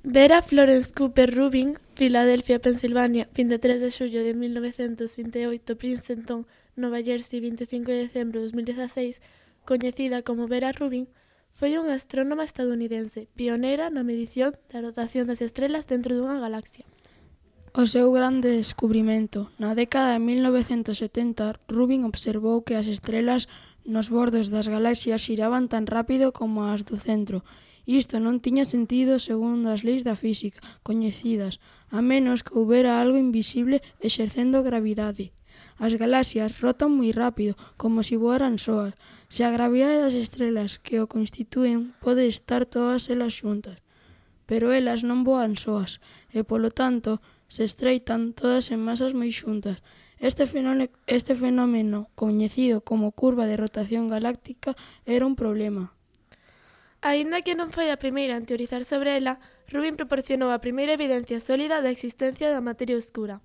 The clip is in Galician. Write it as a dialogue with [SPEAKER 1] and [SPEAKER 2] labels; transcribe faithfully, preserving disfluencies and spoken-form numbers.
[SPEAKER 1] Vera Florence Cooper Rubin, Filadelfia, Pensilvania, vinte e tres de xullo de mil novecentos vinte e oito, Princeton, Nova Jersey, vinte e cinco de decembro de dos mil dieciséis, coñecida como Vera Rubin, foi unha astrónoma estadounidense, pioneira na medición da rotación das estrelas dentro dunha galaxia.
[SPEAKER 2] O seu grande descubrimento. Na década de mil novecentos setenta, Rubin observou que as estrelas nos bordos das galaxias xiraban tan rápido como as do centro. Isto non tiña sentido segundo as leis da física coñecidas, a menos que houbera algo invisible exercendo gravidade. As galaxias rotan moi rápido, como se voaran soas. Se a gravidade das estrelas que o constitúen pode estar todas elas xuntas, pero elas non voan soas, e polo tanto se estreitan todas en masas moi xuntas. Este fenómeno, este fenómeno, coñecido como curva de rotación galáctica, era un problema.
[SPEAKER 1] Aínda que non foi a primeira en teorizar sobre ela, Rubin proporcionou a primeira evidencia sólida da existencia da materia oscura.